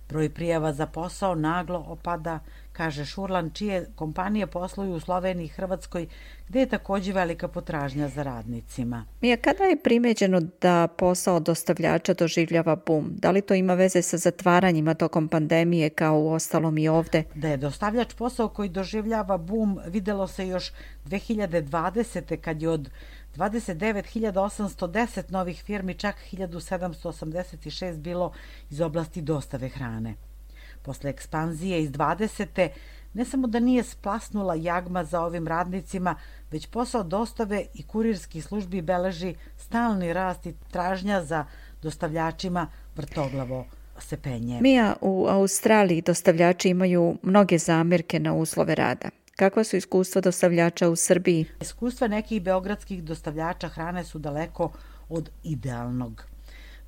Broj prijava za posao naglo opada, kaže Šurlan, čije kompanije posluju u Sloveniji i Hrvatskoj, gde je također velika potražnja za radnicima. Mija, kada je primeđeno da posao dostavljača doživljava bum? Da li to ima veze sa zatvaranjima tokom pandemije kao u ostalom i ovde? Da je dostavljač posao koji doživljava bum videlo se još 2020. kad je od 29.810 novih firmi, čak 1.786 bilo iz oblasti dostave hrane. Posle ekspanzije iz 20. ne samo da nije splasnula jagma za ovim radnicima, već posao dostave i kurirskih službi beleži stalni rast i tražnja za dostavljačima vrtoglavo se penje. Mija, u Australiji dostavljači imaju mnoge zamerke na uslove rada. Kakva su iskustva dostavljača u Srbiji? Iskustva nekih beogradskih dostavljača hrane su daleko od idealnog.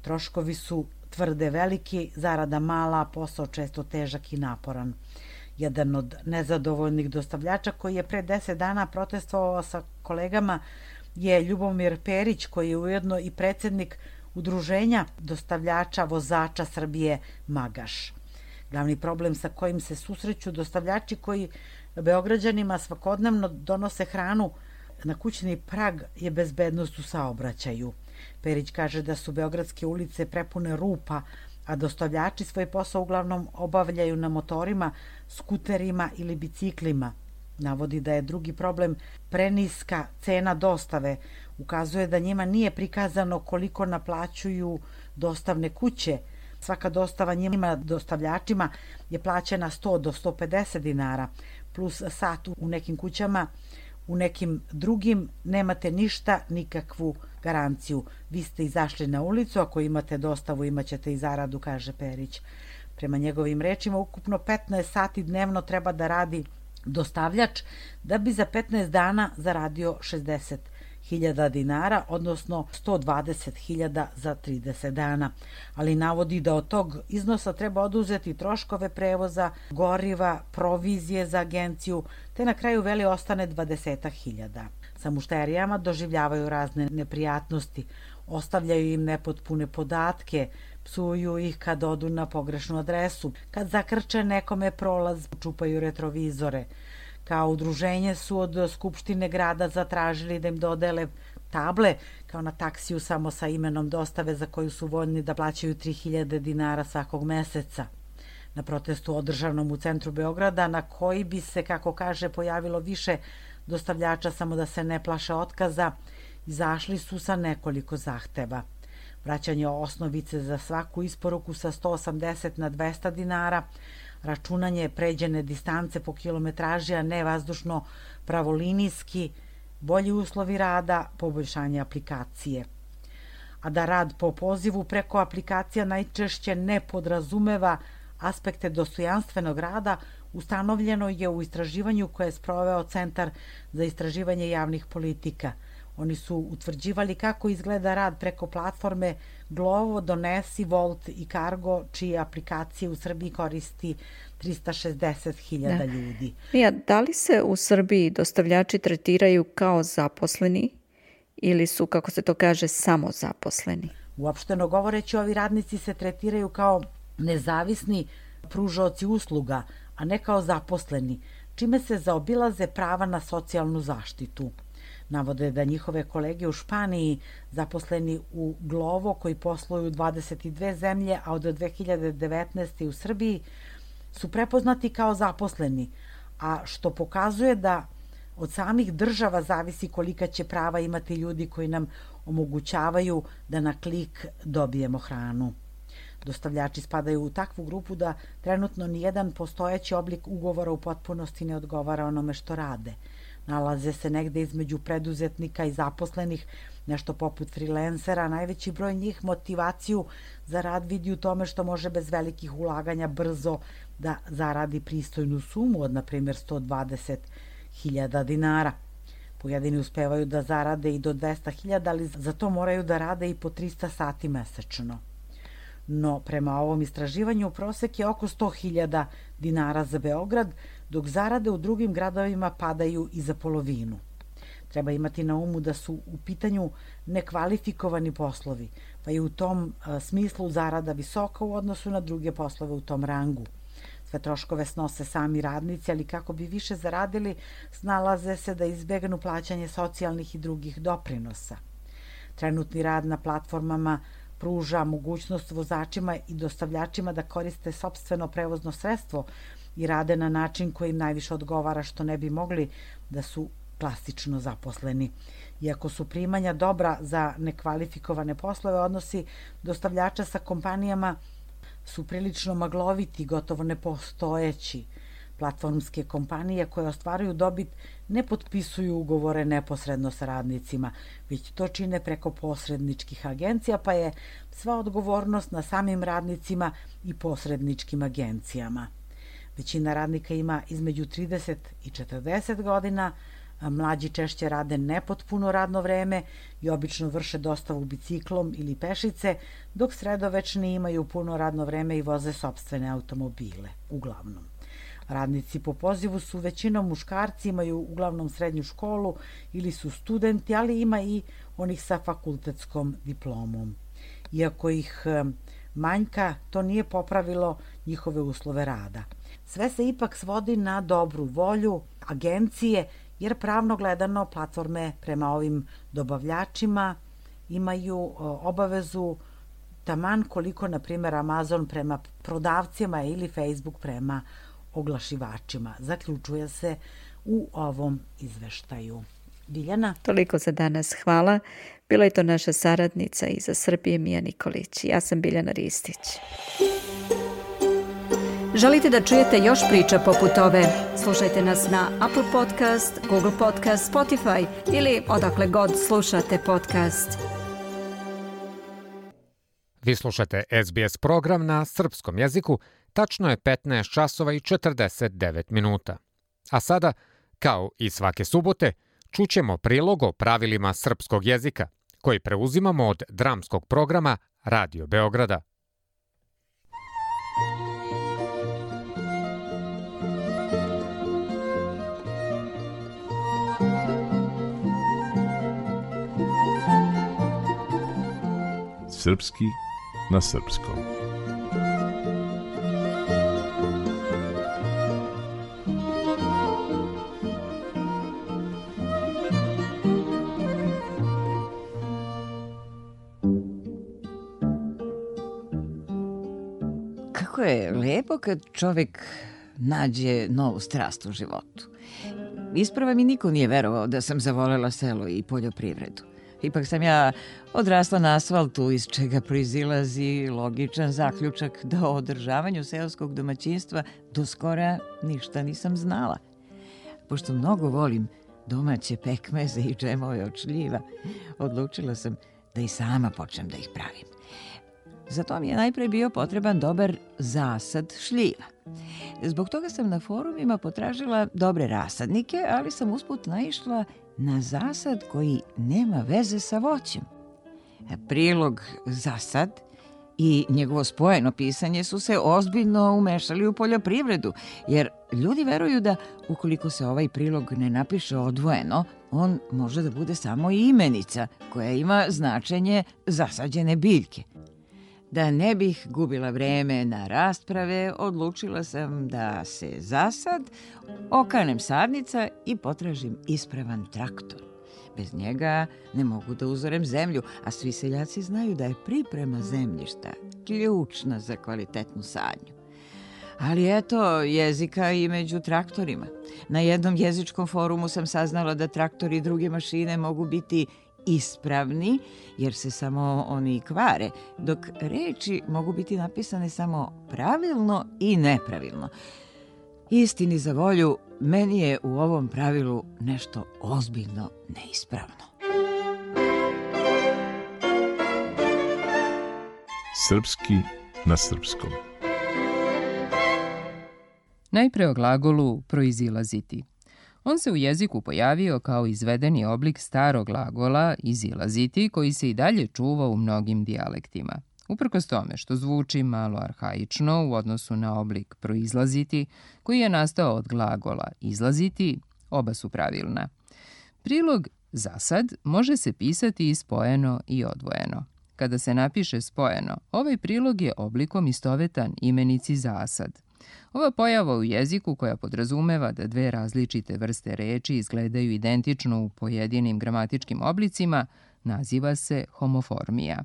Troškovi su tvrde veliki, zarada mala, posao često težak i naporan. Jedan od nezadovoljnih dostavljača koji je pre 10 dana protestovao sa kolegama je Ljubomir Perić, koji je ujedno i predsjednik Udruženja dostavljača vozača Srbije Magaš. Glavni problem sa kojim se susreću dostavljači koji Beograđanima svakodnevno donose hranu na kućni prag je bezbednost u saobraćaju. Perić kaže da su beogradske ulice prepune rupa, a dostavljači svoj posao uglavnom obavljaju na motorima, skuterima ili biciklima. Navodi da je drugi problem preniska cena dostave. Ukazuje da njima nije prikazano koliko naplaćuju dostavne kuće. Svaka dostava njima dostavljačima je plaćena 100 do 150 dinara, plus sat u nekim kućama U nekim drugim nemate ništa, nikakvu garanciju. Vi ste izašli na ulicu, ako imate dostavu imaćete i zaradu, kaže Perić. Prema njegovim rečima, ukupno 15 sati dnevno treba da radi dostavljač da bi za 15 dana zaradio 60.000 dinara, odnosno 120.000 za 30 dana. Ali navodi da od tog iznosa treba oduzeti troškove prevoza, goriva, provizije za agenciju, te na kraju veli ostane 20.000. Sa mušterijama doživljavaju razne neprijatnosti, ostavljaju im nepotpune podatke, psuju ih kad odu na pogrešnu adresu, kad zakrče nekome prolaz, čupaju retrovizore. Kao udruženje su od Skupštine grada zatražili da im dodele table, kao na taksiju samo sa imenom dostave za koju su voljni da plaćaju 3.000 dinara svakog meseca. Na protestu održanom u centru Beograda, na koji bi se, kako kaže, pojavilo više dostavljača samo da se ne plaše otkaza, izašli su sa nekoliko zahteva. Vraćanje osnovice za svaku isporuku sa 180 na 200 dinara, računanje pređene distance po kilometraži, a ne vazdušno pravolinijski, bolji uslovi rada, poboljšanje aplikacije. A da rad po pozivu preko aplikacija najčešće ne podrazumeva aspekte dostojanstvenog rada, ustanovljeno je u istraživanju koje je sproveo Centar za istraživanje javnih politika. Oni su utvrđivali kako izgleda rad preko platforme Glovo, Donesi, Volt i Cargo, čije aplikacije u Srbiji koristi 360.000 ljudi. Mija, da li se u Srbiji dostavljači tretiraju kao zaposleni ili su, kako se to kaže, samozaposleni? Uopšteno govoreći, ovi radnici se tretiraju kao nezavisni pružaoci usluga, a ne kao zaposleni, čime se zaobilaze prava na socijalnu zaštitu. Navode da njihove kolege u Španiji, zaposleni u Glovo, koji posluju u 22 zemlje, a od 2019. u Srbiji, su prepoznati kao zaposleni, a što pokazuje da od samih država zavisi kolika će prava imati ljudi koji nam omogućavaju da na klik dobijemo hranu. Dostavljači spadaju u takvu grupu da trenutno nijedan postojeći oblik ugovora u potpunosti ne odgovara onome što rade. Nalaze se negde između preduzetnika i zaposlenih, nešto poput freelancera. Najveći broj njih motivaciju za rad vidi u tome što može bez velikih ulaganja brzo da zaradi pristojnu sumu od, na primjer, 120.000 dinara. Pojedini uspevaju da zarade i do 200.000, ali za to moraju da rade i po 300 sati mesečno. No, prema ovom istraživanju, prosek je oko 100.000 dinara za Beograd, dok zarade u drugim gradovima padaju i za polovinu. Treba imati na umu da su u pitanju nekvalifikovani poslovi, pa je u tom smislu zarada visoka u odnosu na druge poslove u tom rangu. Sve troškove snose sami radnici, ali kako bi više zaradili, snalaze se da izbegnu plaćanje socijalnih i drugih doprinosa. Trenutni rad na platformama pruža mogućnost vozačima i dostavljačima da koriste sopstveno prevozno sredstvo i rade na način koji im najviše odgovara, što ne bi mogli da su klasično zaposleni. Iako su primanja dobra za nekvalifikovane poslove, odnosi dostavljača sa kompanijama su prilično magloviti, gotovo nepostojeći. Platformske kompanije koje ostvaruju dobit ne potpisuju ugovore neposredno sa radnicima, već to čine preko posredničkih agencija, pa je sva odgovornost na samim radnicima i posredničkim agencijama. Većina radnika ima između 30 i 40 godina, a mlađi češće rade nepotpuno radno vreme i obično vrše dostavu biciklom ili pešice, dok sredovečni imaju puno radno vreme i voze sopstvene automobile, uglavnom. Radnici po pozivu su većinom muškarci, imaju uglavnom srednju školu ili su studenti, ali ima i onih sa fakultetskom diplomom. Iako ih manjka, to nije popravilo njihove uslove rada. Sve se ipak svodi na dobru volju agencije, jer pravno gledano platforme prema ovim dobavljačima imaju obavezu taman koliko, na primjer, Amazon prema prodavcima ili Facebook prema oglašivačima. Zaključuje se u ovom izveštaju. Biljana? Toliko za danas. Hvala. Bila je to naša saradnica iz Srbije, Mija Nikolić. Ja sam Biljana Ristić. Želite da čujete još priča poput ove? Slušajte nas na Apple Podcast, Google Podcast, Spotify ili odakle god slušate podcast. Vi slušate SBS program na srpskom jeziku, tačno je 15 časova i 49 minuta. A sada, kao i svake subote, čućemo prilog o pravilima srpskog jezika, koji preuzimamo od dramskog programa Radio Beograda. Srpski na srpskom. Kako je lepo kad čovjek nađe novu strast u životu. Isprava mi niko nije verovao da sam zavolela selo i poljoprivredu. Ipak sam ja odrasla na asfaltu, iz čega proizilazi logičan zaključak da o održavanju seoskog domaćinstva do skora ništa nisam znala. Pošto mnogo volim domaće pekmeze i džemove od šljiva, odlučila sam da i sama počnem da ih pravim. Zato mi je najpre bio potreban dobar zasad šljiva. Zbog toga sam na forumima potražila dobre rasadnike, ali sam usput naišla na zasad koji nema veze sa voćem. Prilog zasad i njegovo spojeno pisanje su se ozbiljno umešali u poljoprivredu, jer ljudi veruju da ukoliko se ovaj prilog ne napiše odvojeno, on može da bude samo imenica koja ima značenje zasađene biljke. Da ne bih gubila vreme na rasprave, odlučila sam da se zasad, okanem sadnica i potražim ispravan traktor. Bez njega ne mogu da uzorem zemlju, a svi seljaci znaju da je priprema zemljišta ključna za kvalitetnu sadnju. Ali eto, jezika i među traktorima. Na jednom jezičkom forumu sam saznala da traktori i druge mašine mogu biti ispravni, jer se samo oni kvare, dok reči mogu biti napisane samo pravilno i nepravilno. Istini za volju, meni je u ovom pravilu nešto ozbiljno neispravno. Srpski na srpskom. Najpre o glagolu proizilaziti. On se u jeziku pojavio kao izvedeni oblik starog glagola izilaziti, koji se i dalje čuva u mnogim dijalektima. Uprkos tome što zvuči malo arhaično u odnosu na oblik proizlaziti, koji je nastao od glagola izlaziti, oba su pravilna. Prilog zasad može se pisati i spojeno i odvojeno. Kada se napiše spojeno, ovaj prilog je oblikom istovetan imenici zasad. Ova pojava u jeziku, koja podrazumeva da dve različite vrste reči izgledaju identično u pojedinim gramatičkim oblicima, naziva se homoformija.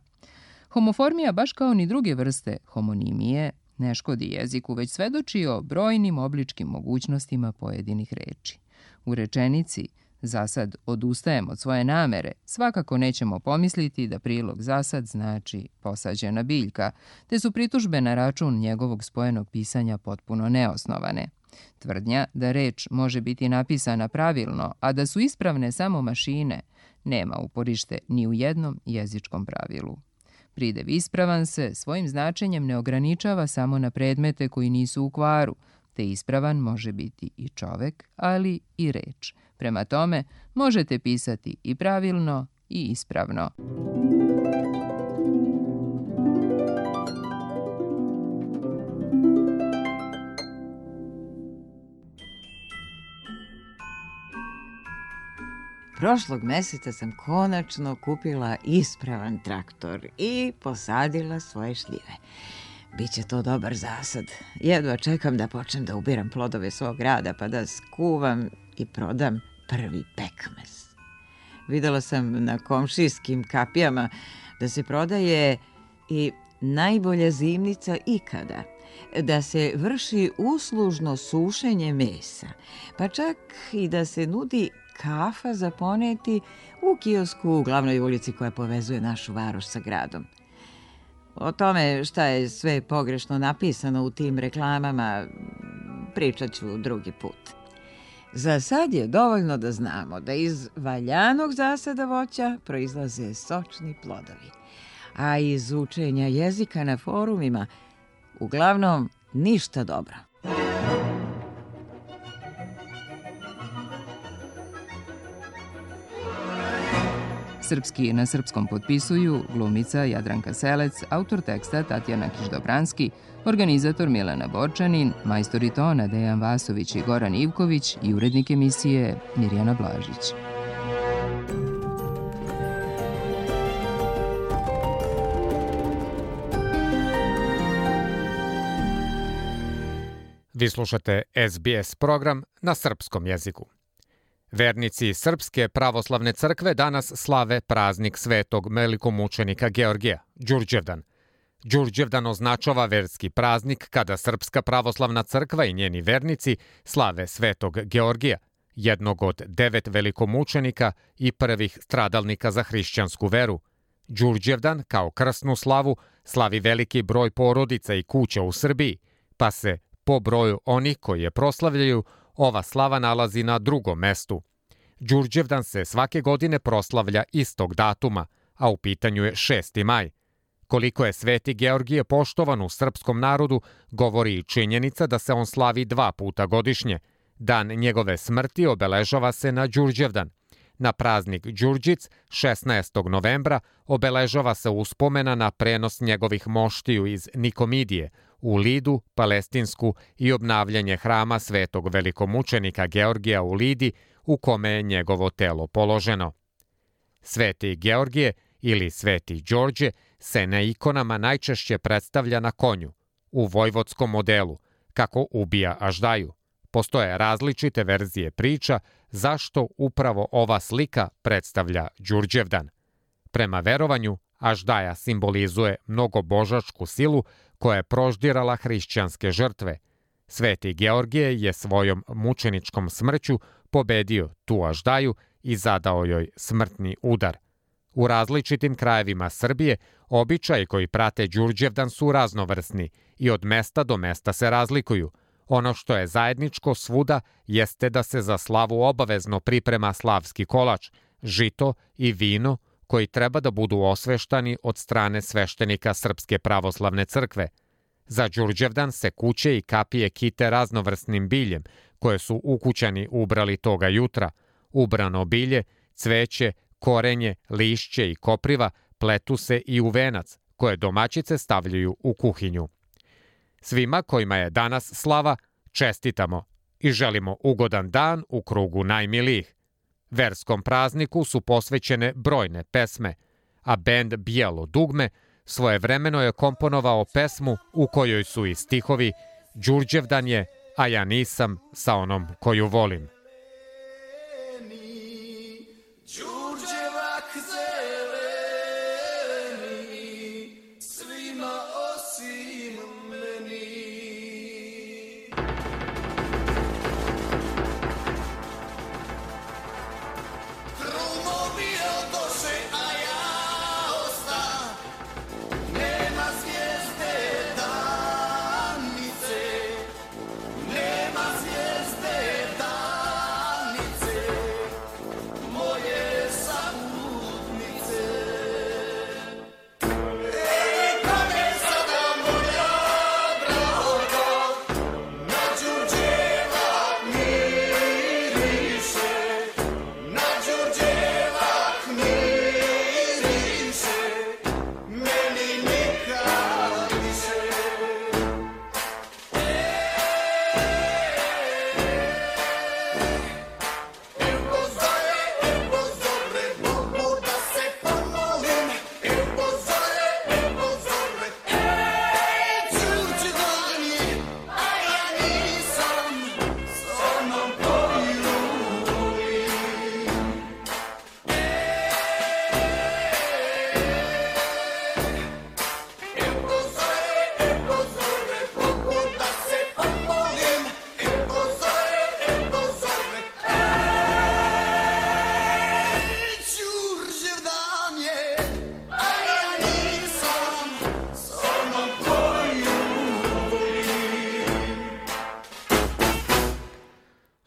Homoformija, baš kao ni druge vrste homonimije, ne škodi jeziku, već svedoči o brojnim obličkim mogućnostima pojedinih reči. U rečenici zasad odustajem od svoje namere, svakako nećemo pomisliti da prilog zasad znači posađena biljka, te su pritužbe na račun njegovog spojenog pisanja potpuno neosnovane. Tvrdnja da reč može biti napisana pravilno, a da su ispravne samo mašine, nema uporište ni u jednom jezičkom pravilu. Pridev ispravan se svojim značenjem ne ograničava samo na predmete koji nisu u kvaru, te ispravan može biti i čovek, ali i reč. Prema tome, možete pisati i pravilno i ispravno. Prošlog meseca sam konačno kupila ispravan traktor i posadila svoje šljive. Biće to dobar zasad. Jedva čekam da počnem da ubiram plodove svog rada, pa da skuvam i prodam prvi pekmez. Videla sam na komšijskim kapijama da se prodaje i najbolja zimnica ikada, da se vrši uslužno sušenje mesa, pa čak i da se nudi kafa za poneti u kiosku u glavnoj ulici koja povezuje našu varoš sa gradom. O tome šta je sve pogrešno napisano u tim reklamama pričat ću drugi put. Za sad je dovoljno da znamo da iz valjanog zasada voća proizlaze sočni plodovi, a iz učenja jezika na forumima uglavnom ništa dobro. Srpski na srpskom potpisuju glumica Jadranka Selec, autor teksta Tatjana Kiš-Dobranski, organizator Milena Borčanin, majstori tona Dejan Vasović i Goran Ivković i urednik emisije Mirjana Blažić. Vi slušate SBS program na srpskom jeziku. Vernici Srpske pravoslavne crkve danas slave praznik svetog velikomučenika Georgija, Đurđevdan. Đurđevdan označava verski praznik kada Srpska pravoslavna crkva i njeni vernici slave svetog Georgija, jednog od 9 velikomučenika i prvih stradalnika za hrišćansku veru. Đurđevdan kao krsnu slavu slavi veliki broj porodica i kuća u Srbiji, pa se po broju onih koji je proslavljaju ova slava nalazi na drugom mestu. Đurđevdan se svake godine proslavlja istog datuma, a u pitanju je 6. maj. Koliko je Sveti Georgije poštovan u srpskom narodu, govori i činjenica da se on slavi 2 puta godišnje. Dan njegove smrti obeležava se na Đurđevdan. Na praznik Đurđic, 16. novembra, obeležava se uspomena na prenos njegovih moštiju iz Nikomidije u Lidu, Palestinsku i obnavljanje hrama svetog velikomučenika Georgija u Lidi, u kome je njegovo telo položeno. Sveti Georgije ili Sveti Đorđe se na ikonama najčešće predstavlja na konju, u vojvodskom modelu, kako ubija aždaju. Postoje različite verzije priča zašto upravo ova slika predstavlja Đurđevdan. Prema verovanju, aždaja simbolizuje mnogobožačku silu koja je proždirala hrišćanske žrtve. Sveti Georgije je svojom mučeničkom smrću pobedio tu aždaju i zadao joj smrtni udar. U različitim krajevima Srbije običaji koji prate Đurđevdan su raznovrsni i od mesta do mesta se razlikuju. Ono što je zajedničko svuda jeste da se za slavu obavezno priprema slavski kolač, žito i vino koji treba da budu osveštani od strane sveštenika Srpske pravoslavne crkve. Za Đurđevdan se kuće i kapije kite raznovrsnim biljem koje su ukućani ubrali toga jutra. Ubrano bilje, cveće, korenje, lišće i kopriva pletu se i u venac koje domaćice stavljaju u kuhinju. Svima kojima je danas slava čestitamo i želimo ugodan dan u krugu najmilijih. Verskom prazniku su posvećene brojne pesme, a bend Bijelo dugme svojevremeno je komponovao pesmu u kojoj su i stihovi Đurđevdan je, a ja nisam sa onom koju volim. Ej, kome sada moja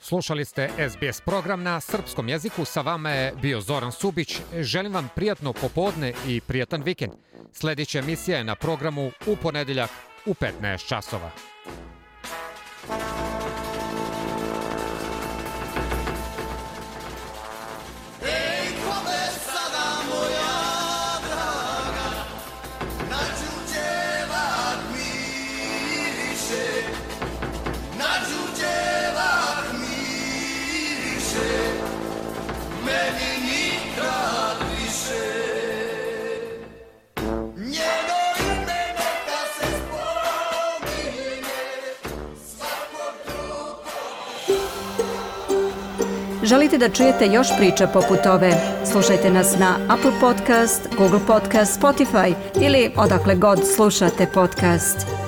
Slušali ste SBS program na srpskom jeziku. Sa vama je bio Zoran Subić. Želim vam prijatno popodne i prijatan vikend. Sljedeća emisija je na programu u ponedeljak u 15 časova. Želite da čujete još priča poput ove? Slušajte nas na Apple Podcast, Google Podcast, Spotify ili odakle god slušate podcast.